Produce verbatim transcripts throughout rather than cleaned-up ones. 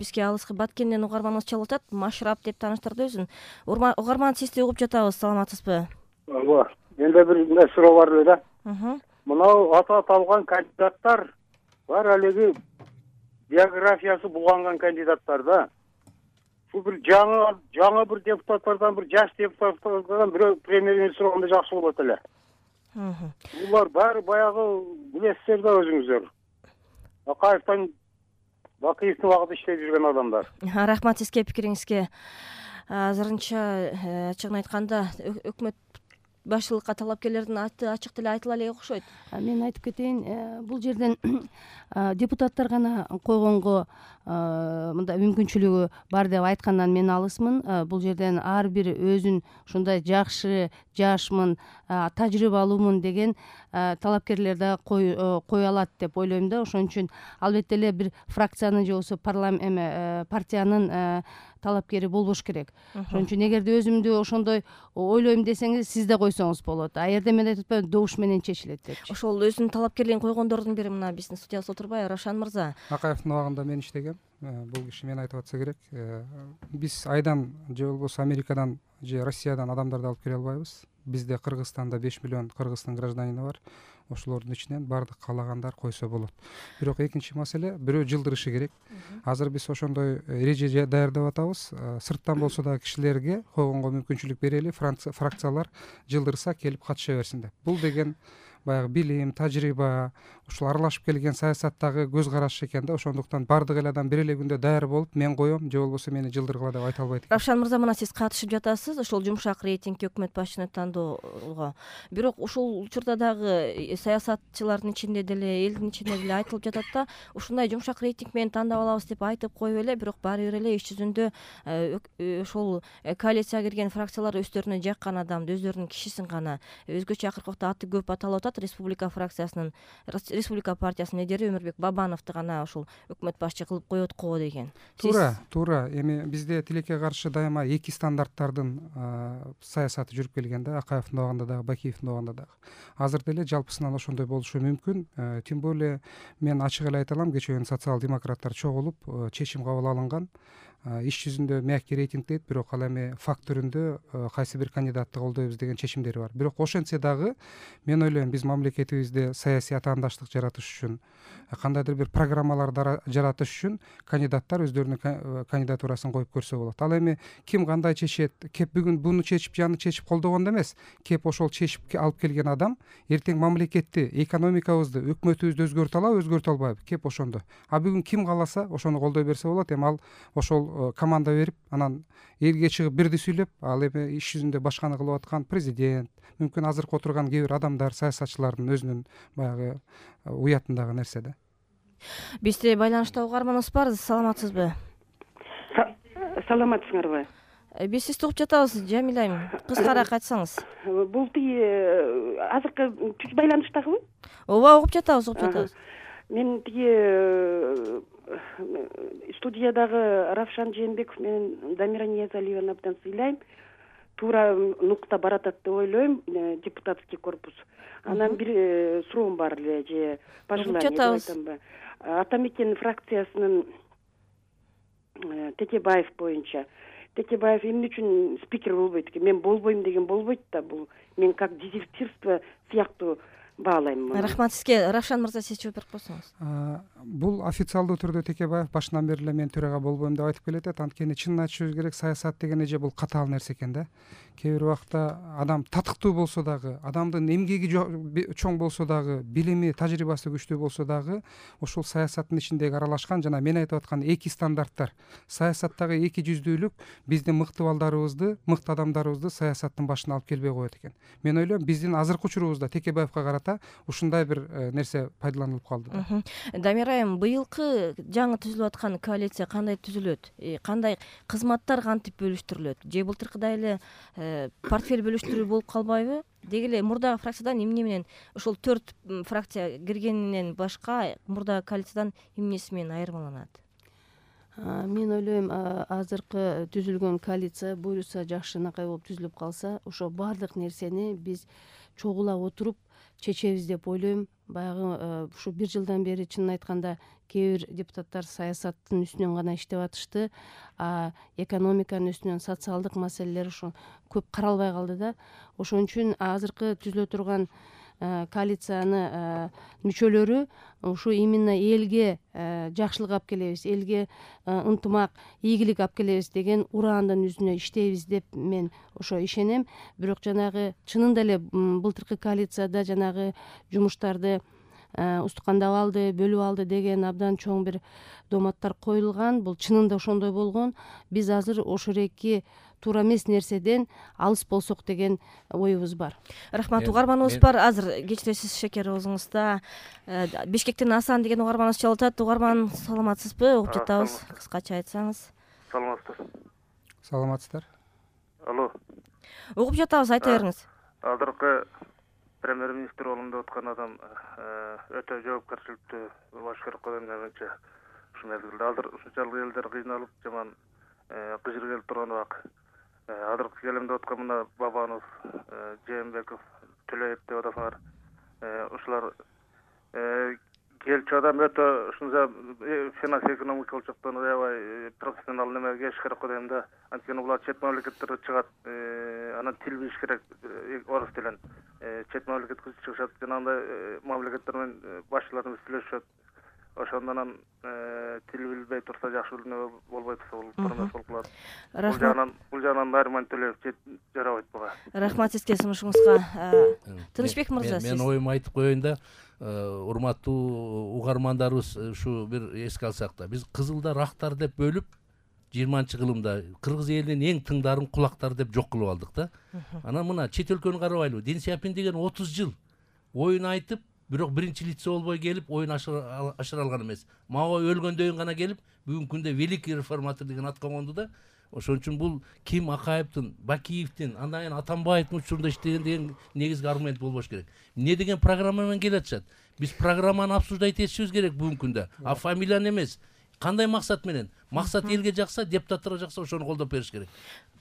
бизге алыскы Баткенден угарманыбыз чалып атат. Машрап деп тааныштырды өзүн. Угарман сизди угуп жатабыз, саламатсызбы? Ооба. Менде бир эмне суроо бар эле да. Мынау аты аталган кандидаттар бар элеги биографиясы булганган кандидаттар да. Бул бир жаңы жаңы бир депутаттардан, бир жаш депутаттардан бирөө премьер-министр болгондо жакшы болот эле. Булар баары баягы билесиздер да өзүңүздөр. Акаевдин Бакиевдин убагында иштеп жүргөн адамдар. Рахмат сизге, пикириңизге. Азырынча ачыгын айтканда өкмөт башчылыкка талапкерлердин аты ачык деле айтыла элек окшойт. Мен айтып кетейин, бул жерден депутаттар гана койгонго мындай мүмкүнчүлүгү бар деп айткандан мен алысмын. Бул жерден ар бир өзүн ушундай жакшы, жашмын, тажрыйбалуумун деген талапкерлер да кое алат деп ойлойм да. Ошон үчүн албетте эле бир фракциянын же болбосо парламент эме партиянын талапкери болбош керек. Ошон үчүн эгерде өзүмдү ошондой ойлойм десеңиз, сиз да койсоңуз болот. А жерде мен айтып атпаймынбы, добуш менен чечилет депчи. Ошол өзүнүн талапкерлигин койгондордун бири мына биздин студиябызда отурбайбы, Равшан мырза? Акаевдин убагында мен иштегем. Бул киши мен айтып атса керек. Биз айдан же болбосо Америкадан же Россиядан адамдарды алып келе албайбыз. Бизде Кыргызстанда беш миллион Кыргыздын гражданины бар. Ошолордун ичинен баардык каалагандар койсо болот. Бирок экинчи маселе, бирөө жылдырышы керек. Азыр биз ошондой эреже даярдап атабыз. Сырттан болсо да кишилерге койгонго мүмкүнчүлүк берели, фракциялар жылдырса келип катыша берсин деп. Бул деген баягы билим, тажрыйба, ушул аралашып келген саясаттагы көз караш экен да. Ошондуктан баардык эл адам бир эле күндө даяр болуп, мен коем же болбосо мени жылдыргыла деп айта албайт экен. Равшан мырза, мына сиз катышып жатасыз ошол жумшак рейтингке, өкмөт башчыны тандоого. Бирок ушул учурда дагы саясатчылардын ичинде деле, элдин ичинде деле айтылып жатат да, ушундай жумшак рейтинг менен тандап алабыз деп айтып коюп эле, бирок баары бир эле иш жүзүндө ошол коалицияга кирген фракциялар өздөрүнө жаккан адамды, өздөрүнүн кишисин гана, өзгөчө акыркы убакта аты көп аталып атат. Республика фракциясынын, Республика партиясынын лидери Өмүрбек Бабановду гана ошол өкмөт башчы кылып коет го деген. Туура, туура. Эми бизде тилекке каршы дайыма эки стандарттардын саясаты жүрүп келген да, Акаевдин убагында дагы, Бакиевдин убагында дагы. Азыр деле жалпысынан ошондой болушу мүмкүн. Тем более мен ачык эле айта алам, кечээ күнү социал-демократтар чогулуп чечим кабыл алынган. Иш жүзүндө мягкий рейтинг дейт, бирок ал эми факт түрүндө кайсы бир кандидатты колдойбуз деген чечимдери бар. Бирок ошентсе дагы мен ойлойм, биз мамлекетибизде саясий атаандаштык жаратыш үчүн, кандайдыр бир программаларды жаратыш үчүн кандидаттар өздөрүнүн кандидатурасын коюп көрсө болот. Ал эми ким кандай чечет, кеп бүгүн буну чечип, жаны чечип колдогондо эмес, кеп ошол чечип алып келген адам эртең мамлекетти, экономикабызды, өкмөтүбүздү өзгөртө алабы, өзгөртө албайбы, кеп ошондо. А бүгүн ким кааласа ошону колдой берсе болот. Эми ал ошол команда берип, анан элге чыгып бирди сүйлөп, ал эми иш жүзүндө башканы кылып аткан президент, мүмкүн азыркы отурган кээ бир адамдар, саясатчылардын өзүнүн баягы уятындагы нерсе да. Бизде байланышта угарманыбыз бар, саламатсызбы? Саламатсыңарбы? Биз сизди угуп жатабыз, Жамиля айым. Кыскараак айтсаңыз. Бул тиги азыркы түз байланыштагыбы? Ооба, угуп жатабыз, угуп жатабыз. Мен тиги студиядагы Равшан Жээнбеков менен Дамира Ниязалиеваны абдан сыйлайм. Туура нукта баратат деп ойлойм, депутатский корпус. Анан бир суроом бар эле, же пожелание деп айтамбы. Атамекен фракциясынын Текебаев боюнча. Текебаев эмне үчүн спикер болбойт экен? Мен болбойм деген болбойт да, бул мен как дезертирство сыяктуу баалайм. Рахмат сизге. Равшан мырза, сиз жооп берип койсоңуз. Бул официалдуу түрдө Текебаев башынан бери эле мен төрага болбойм деп айтып келет. Анткени чынын айтышыбыз керек, саясат деген эже бул катаал нерсе экен да. Кээ бир убакта адам татыктуу болсо дагы, адамдын эмгеги чоң болсо дагы, билими, тажрыйбасы күчтүү болсо дагы, ошол саясаттын ичиндеги аралашкан жана мен айтып аткан эки стандарттар, саясаттагы эки жүздүүлүк биздин мыкты балдарыбызды, мыкты адамдарыбызды саясаттын башына алып келбей коет экен. Мен ойлойм, биздин азыркы учурубузда Текебаевка карата ушундай бир нерсе пайдаланылып калды да. Дамира айым, быйылкы жаңы түзүлүп аткан коалиция кандай түзүлөт? Кандай кызматтар кантип бөлүштүрүлөт? Же былтыркыдай эле портфель бөлүштүрүү болуп калбайбы? Деги эле мурдагы фракциядан эмне менен, ошол төрт фракция киргенинен башка мурдагы коалициядан эмнеси менен айырмаланат? Мен ойлойм, азыркы түзүлгөн коалиция буюрса жакшынакай болуп түзүлүп калса, ошо баардык нерсени биз чогула отуруп чечебиз деп ойлойм. Баягы ушу бир жылдан бери чынын айтканда кээ бир депутаттар саясаттын үстүнөн гана иштеп атышты, а экономиканын үстүнөн социалдык маселелер ушу көп каралбай калды да. Ошон үчүн азыркы түзүлө турган коалицияны мүчөлөрү ушу именно элге жакшылык алып келебиз, элге ынтымак, ийгилик алып келебиз деген ураандын жүзүнө иштейбиз деп мен ошо ишенем. Бирок жанагы чынында эле былтыркы коалицияда жанагы жумуштарды устукандап алды, бөлүп алды деген абдан чоң бир доматтар коюлган. Бул чынында ошондой болгон. Биз азыр ошол эки туура эмес нерседен алыс болсок деген оюбуз бар. Рахмат. Угарманыбыз бар. Азыр кечиресиз Шекер оозуңузда Бишкектен Асан деген угарманыбыз чалып атат. Угарман, саламатсызбы? Угуп жатабыз. Кыскача айтсаңыз. Саламатсыздар. Саламатсыздар. Алло. Угуп жатабыз, айта бериңиз. Азыркы премьер-министр орунда отурган адам өтө жоопкерчиликтүү болуш керек го деп менимче. Ушул мезгилде азыр ушунчалык элдер кыйналып, жаман кыжыр келип турган убак. Азыркы келемде отурган мына Бабанов, Жээнбеков, Төлөев деп атасыңар. Ушулар келчү адам өтө ушунча финанс экономикалык жактан аябай профессионал неме келиш керек го дейм да. Анткени булар чет мамлекеттерге чыгат, анан тил билиш керек, орус тилин. Чет мамлекетке чыгышат, жанагындай мамлекеттер менен башчыларыбыз сүйлөшөт. Ошондон тил билбей турса, жакшы билме болбой турса, бул турмас болуп калат. Бул жагынан, бул жагынан Нарман Төлөев жарабайт буга. Рахмат сизге сунушуңузга. Тынычбек мырза, сиз. Мен оюмду айтып коеюн да, урматтуу угармандарыбыз, ушу бир эске алсак да, биз Кызылдар актар деп бөлүп жыйырманчы кылымда кыргыз элинин эң тыңдарын кулактар деп жок кылып алдык да. Анан мына чет өлкөнү карабайлыбы? Ден Сяопин деген отуз жыл оюн айтып, бирок биринчи лице болбой келип, оюн ашыра алган эмес. Мага өлгөндөн кийин гана келип, бүгүнкү күндө великий реформатор деген атка конду да. Ошон үчүн бул Ким Акаевдин, Бакиевдин, андан кийин Атамбаевдин учурунда иштеген деген негизги аргумент болбош керек. Эмне деген программа менен келе атышат? Биз программаны обсуждать этишибиз керек бүгүнкү күндө. А фамилияны эмес. Кандай максат менен? Максат элге жакса, депутаттарга жакса, ошону колдоп бериш керек.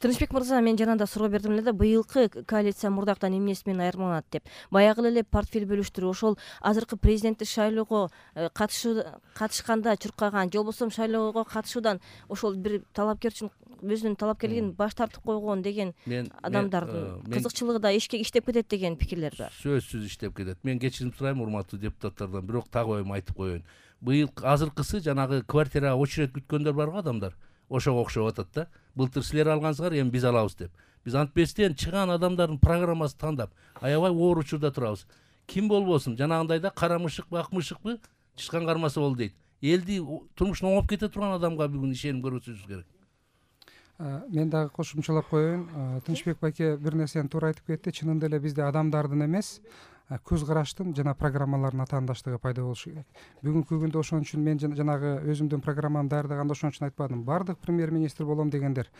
Тынычбек мырза, мен жанагында суроо бердим эле да, быйылкы коалиция мурдактан эмнеси менен айырмаланат деп. Баягы эле портфель бөлүштүрүү, ошол азыркы президенттик шайлоого катышканда чуркаган, же болбосо шайлоого катышуудан ошол бир талапкер үчүн өзүнүн талапкерлигин баш тартып койгон деген адамдардын кызыкчылыгы да ишке иштеп кетет деген пикирлер бар. Сөзсүз иштеп кетет. Мен кечирим сурайм урматтуу депутаттардан, бирок так оюм айтып коеюн. Быйыл азыркысы жанагы квартирага очередь күткөндөр барго адамдар. Ошого окшоп атат да. Былтыр силер алгансыңар, эми биз алабыз деп. Биз антпестен чыган адамдардын программасын тандап, аябай оор учурда турабыз. Ким болбосун, жанагындай да кара мышыкпы, ак мышыкпы, чычкан кармасы болду дейт. Элди турмушун оңоп кете турган адамга бүгүн ишеним көрсөтүшүбүз керек. Мен дагы кошумчалап коеюн. Тынычбек байке бир нерсени туура айтып кетти. Чынында эле бизде адамдардын эмес, көз караштын жана программалардын атаандаштыгы пайда болушу керек. Бүгүнкү күндө ошон үчүн мен жанагы өзүмдүн программамды даярдаганда ошон үчүн айтпадым. Бардык премьер-министр болом дегендер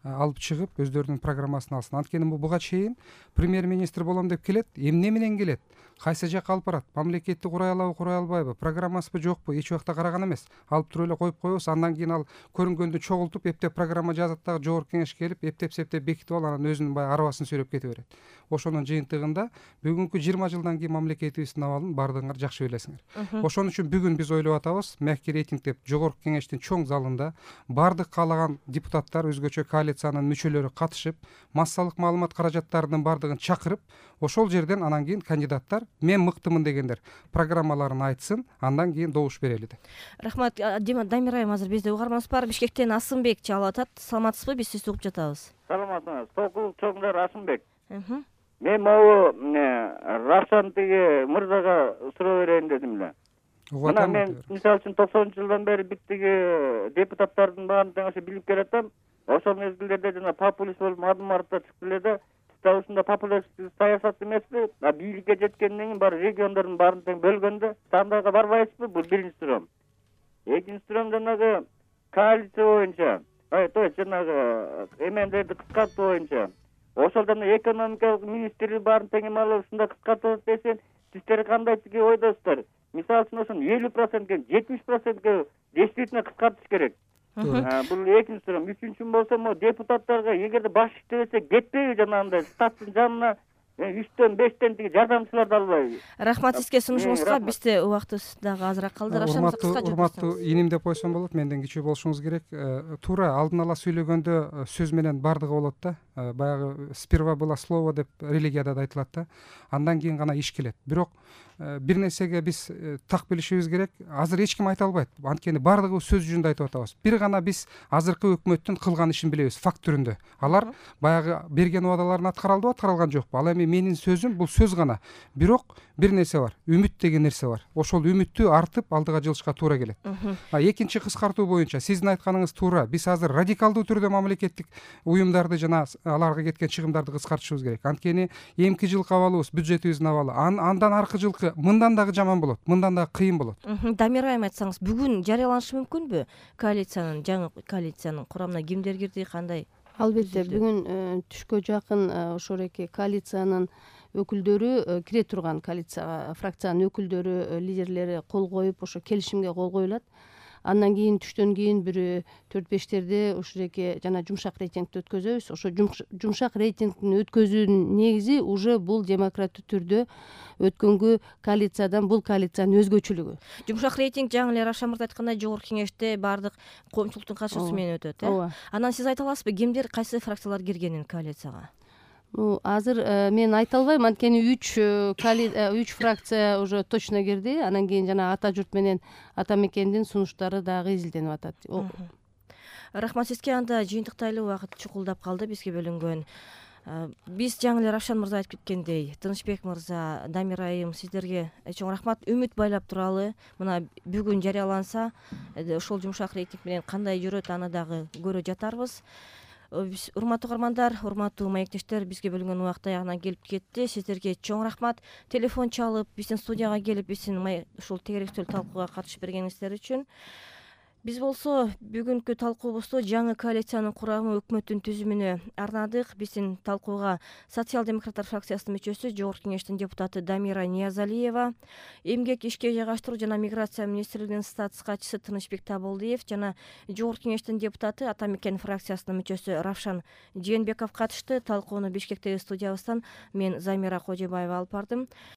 алып чыгып өздөрүнүн программасын алсын. Анткени буга чейин премьер-министр болом деп келет, эмне менен келет? Кайсы жакка алып барат? Мамлекетти курай алабы, курай албайбы? Программасыбы, жокпу? Эч убакта караган эмес. Алып туруп эле коюп коебуз. Андан кийин ал көрүнгөндү чогултуп, эптеп программа жазат дагы жогорку кеңеш келип, эптеп-септеп бекитип алып, анан өзүнүн баягы арабасын сүйлөп кете берет. Ошонун жыйынтыгында бүгүнкү жыйырма жылдан кийин мамлекетибиздин абалын бардыгыңар жакшы билесиңер. Ошон үчүн бүгүн биз ойлоп атабыз, мягкий рейтинг деп жогорку кеңештин чоң залында бардык каалаган депутаттар, өзгөчө коалициянын мүчөлөрү катышып, массалык маалымат каражаттарынын бардыгын чакырып, ошол жерден анан кийин кандидаттар мен мыктымын дегендер программаларын айтсын, андан кийин добуш берели деп. Рахмат. Дамир айым, азыр бизде угарманыбыз бар. Бишкектен Асынбек чалып атат. Саламатсызбы? Биз сизди угуп жатабыз. Саламатсызбы? Сокул чоңдар Асынбек. Мен могу Равшан тиги мырзага суроо берейин дедим эле. Мына мен мисалы үчүн токсонунчу жылдан бери биттиги депутаттардын баарын тең ошо билип келатам. Ошол мезгилдерде жана популист болуп адым артта чыкты эле да. Дагы ушунда популист саясат эмеспи? Бийликке жеткенден кийин бар региондордун баарын тең бөлгөндө сандайга барбайсызбы? Бул биринчи суроом. Экинчи суроом жанагы коалиция боюнча, то есть жанагы эмендерди кыскартуу боюнча. Ошолдон экономикалык министри баарын тең эме алып ушунда кыскартып десен, сиздер кандай тиги ойдосуздар? Мисалы үчүн ошону элүү процентке, жетимиш процентке действительно кыскартыш керек. Бул экинчи суроо. Үчүнчү болсо, мо депутаттарга эгерде баш иштебесе кетпейби жанагындай штаттын жанына үчтөн бештен тиги жардамчыларды албайбы? Рахмат сизге сунушуңузга. Бизде убактыбыз дагы азыраак калды. Урматтуу урматтуу иним деп койсом болот, менден кичүү болушуңуз керек. Туура алдын ала сүйлөгөндө сөз менен бардыгы болот да. Баягы сперва было слово деп религияда да айтылат да. Андан кийин гана иш келет. Бирок бир нерсеге биз так билишибиз керек. Азыр эч ким айта албайт. Анткени бардыгыбыз сөз жүзүндө айтып атабыз. Бир гана биз азыркы өкмөттүн кылган ишин билебиз, факт түрүндө. Алар баягы берген убадаларын аткара алдыбы, аткарылган жокпу? Ал эми менин сөзүм бул сөз гана. Бирок бир нерсе бар. Үмүт деген нерсе бар. Ошол үмүттү артып алдыга жылышка туура келет. А экинчи кыскартуу боюнча сиздин айтканыңыз туура. Биз азыр радикалдуу түрдө мамлекеттик уюмдарды жана аларга кеткен чыгымдарды кыскартышыбыз керек. Анткени эмки жылкы абалыбыз, бюджетибиздин абалы андан аркы жылкы мындан дагы жаман болот, мындан дагы кыйын болот. Дамир айым, айтсаңыз, бүгүн жарыяланышы мүмкүнбү коалициянын, жаңы коалициянын курамына кимдер кирди, кандай? Албетте, бүгүн түшкө жакын ошол эки коалициянын өкүлдөрү, кире турган коалицияга фракциянын өкүлдөрү, лидерлери кол коюп, ошо келишимге кол коюлат. Андан кийин түштөн кийин бир төрт бештерде ушул эки жана жумшак рейтингди өткөзөбүз. Ошо жумшак рейтингдин өткөзүүнүн негизи уже бул демократты түрдө өткөнгү коалициядан бул коалициянын өзгөчөлүгү. Жумшак рейтинг жаңы эле Равшан мырза айткандай жогорку кеңеште баардык коомчулуктун катышуусу менен өтөт, э? Ооба. Анан сиз айта аласызбы, кимдер, кайсы фракциялар киргенин коалицияга? Азыр мен айта албайм, анткени үч үч фракция уже точно кирди. Анан кийин жана Ата журт менен Ата мекендин сунуштары дагы изилденип атат. Рахмат сизге. Анда жыйынтыктайлы убакыт чукулдап калды бизге бөлүнгөн. Биз жаңы эле Равшан мырза айтып кеткендей, Тынычбек мырза, Дамир айым, сиздерге чоң рахмат. Үмүт байлап туралы. Мына бүгүн жарыяланса, ошол жумшак рейтинг менен кандай жүрөт, аны дагы көрө жатарбыз. Урматтуу угармандар, урматтуу маектештер, бизге бөлүнгөн убакыт аягына келип кетти. Сиздерге чоң рахмат. Телефон чалып, биздин студияга келип, биздин ушул тегеректүү талкууга катышып бергениңиздер үчүн. Биз болсо бүгүнкү талкуубузду жаңы коалициянын курамы, өкмөттүн түзүмүнө арнадык. Биздин талкууга социал-демократтар фракциясынын мүчөсү, жогорку кеңештин депутаты Дамира Ниязалиева, эмгек, ишке жайгаштыруу жана миграция министрлигинин статус катчысы Тынычбек Табылдиев жана жогорку кеңештин депутаты, Ата мекен фракциясынын мүчөсү Равшан Жээнбеков катышты. Талкууну Бишкектеги студиябыздан мен Замира Кожобаева алып бардым.